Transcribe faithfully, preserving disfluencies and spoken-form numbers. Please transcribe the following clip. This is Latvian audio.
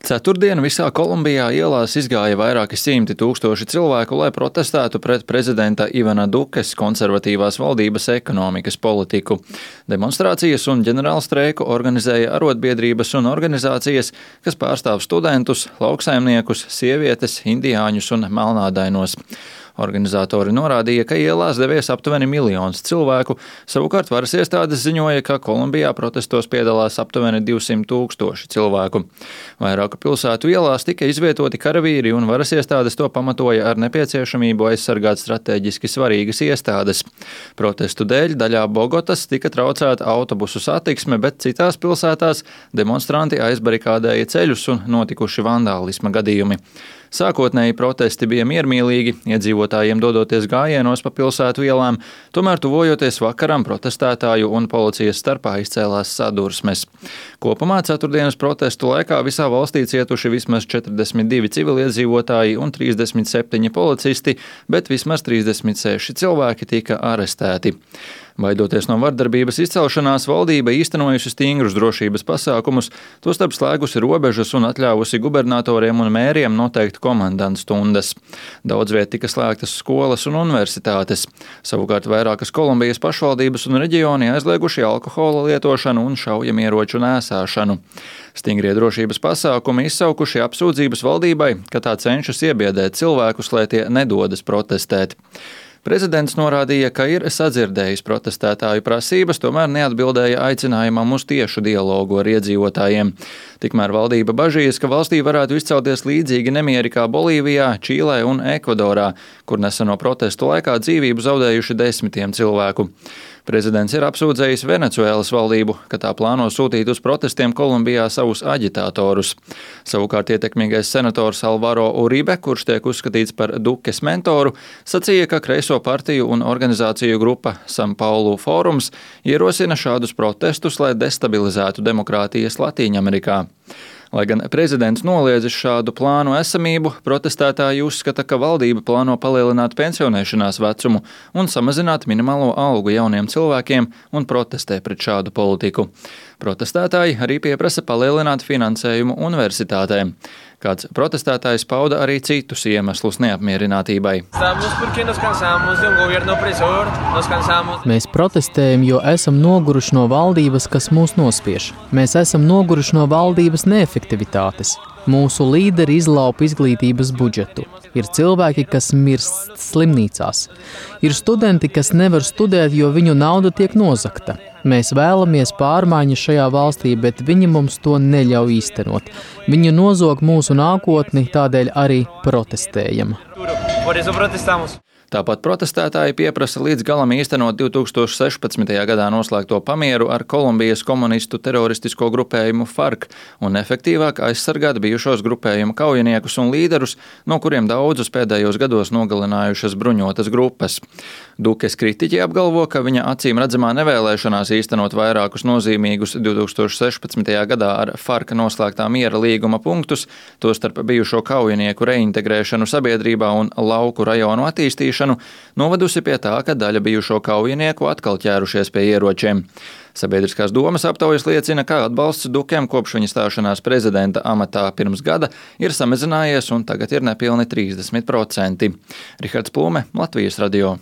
Ceturtdien visā Kolumbijā ielās izgāja vairāki simti tūkstoši cilvēku, lai protestētu pret prezidenta Ivana Dukes konservatīvās valdības ekonomikas politiku. Demonstrācijas un ģenerālstreiku organizēja arotbiedrības un organizācijas, kas pārstāv studentus, lauksaimniekus, sievietes, indiāņus un melnādainos. Organizatori norādīja, ka ielās devies aptuveni miljons cilvēku, savukārt varas iestādes ziņoja, ka Kolumbijā protestos piedalās aptuveni divsimt tūkstoši cilvēku. Vairāku pilsētu ielās tika izvietoti karavīri un varas iestādes to pamatoja ar nepieciešamību aizsargāt strateģiski svarīgas iestādes. Protestu dēļ daļā Bogotas tika traucēta autobusu satiksme, bet citās pilsētās demonstranti aizbarikādēja ceļus un notikuši vandālisma gadījumi. Sākotnēji protesti bija miermīlīgi, iedzīvotājiem dodoties gājienos pa pilsētu ielām, tomēr tuvojoties vakaram protestētāju un policijas starpā izcēlās sadursmes. Kopumā ceturtdienas protestu laikā visā valstī cietuši vismaz četrdesmit divi civiliedzīvotāji un trīsdesmit septiņi policisti, bet vismaz trīsdesmit seši cilvēki tika arestēti. Baidoties no vardarbības izcelšanās, valdība īstenojusi stingrus drošības pasākumus, tostarp slēgusi robežas un atļāvusi gubernatoriem un mēriem noteikt komandantu stundas. Daudz viet tika slēgtas skolas un universitātes. Savukārt vairākas Kolumbijas pašvaldības un reģioni aizlieguši alkohola lietošanu un šaujamieroču nēsāšanu. Stingrie drošības pasākumi izsaukuši apsūdzības valdībai, ka tā cenšas iebiedēt cilvēkus, lai tie nedodas protestēt. Prezidents norādīja, ka ir sadzirdējis protestētāju prasības, tomēr neatbildēja aicinājumam uz tiešu dialogu ar iedzīvotājiem. Tikmēr valdība bažījas, ka valstī varētu izcelties līdzīgi nemieri kā Bolīvijā, Čīlē un Ekvadorā, kur neseno protestu laikā dzīvību zaudējuši desmitiem cilvēku. Prezidents ir apsūdzējis Venecuēlas valdību, ka tā plāno sūtīt uz protestiem Kolumbijā savus aģitātorus. Savukārt ietekmīgais senators Alvaro Uribe, kurš tiek uzskatīts par Dukes mentoru, sacīja, ka kreiso partiju un organizāciju grupa San Paulu fórums ierosina šādus protestus, lai destabilizētu demokrātijas Latīņamerikā. Lai gan prezidents noliedzis šādu plānu esamību, protestētāji uzskata, ka valdība plāno palielināt pensionēšanās vecumu un samazināt minimālo algu jauniem cilvēkiem un protestē pret šādu politiku. Protestētāji arī pieprasa palielināt finansējumu universitātēm. Kāds protestētājs pauda arī citus iemeslus neapmierinātībai. Mēs protestējam, jo esam noguruši no valdības, kas mūs nospiež. Mēs esam noguruši no valdības neefektivitātes. Mūsu līderi izlaupa izglītības budžetu. Ir cilvēki, kas mirst slimnīcās. Ir studenti, kas nevar studēt, jo viņu nauda tiek nozagta. Mēs vēlamies pārmaiņas šajā valstī, bet viņi mums to neļauj īstenot. Viņi nozog mūsu nākotni, tādēļ arī protestējam. Tāpat protestētāji pieprasa līdz galam īstenot divi tūkstoši sešpadsmitajā gadā noslēgto pamieru ar Kolumbijas komunistu teroristisko grupējumu FARC un efektīvāk aizsargāt bijušos grupējumu kaujiniekus un līderus, no kuriem daudzus pēdējos gados nogalinājušas bruņotas grupas. Dukes kritiķi apgalvo, ka viņa acīm redzamā nevēlēšanās īstenot vairākus nozīmīgus divi tūkstoši sešpadsmitajā gadā ar FARC noslēgtā miera līguma punktus, tostarp bijušo kaujinieku reintegrēšanu sabiedrībā un lauku rajonu attīstīšanu, novadusi pie tā, ka daļa bijušo kaujinieku atkal ķērušies pie ieročiem. Sabiedriskās domas aptaujas liecina, ka atbalsts Dukem kopš viņa stāšanās prezidenta amatā pirms gada ir samazinājies un tagad ir nepilni trīsdesmit procenti. Rihards Plūme, Latvijas radio.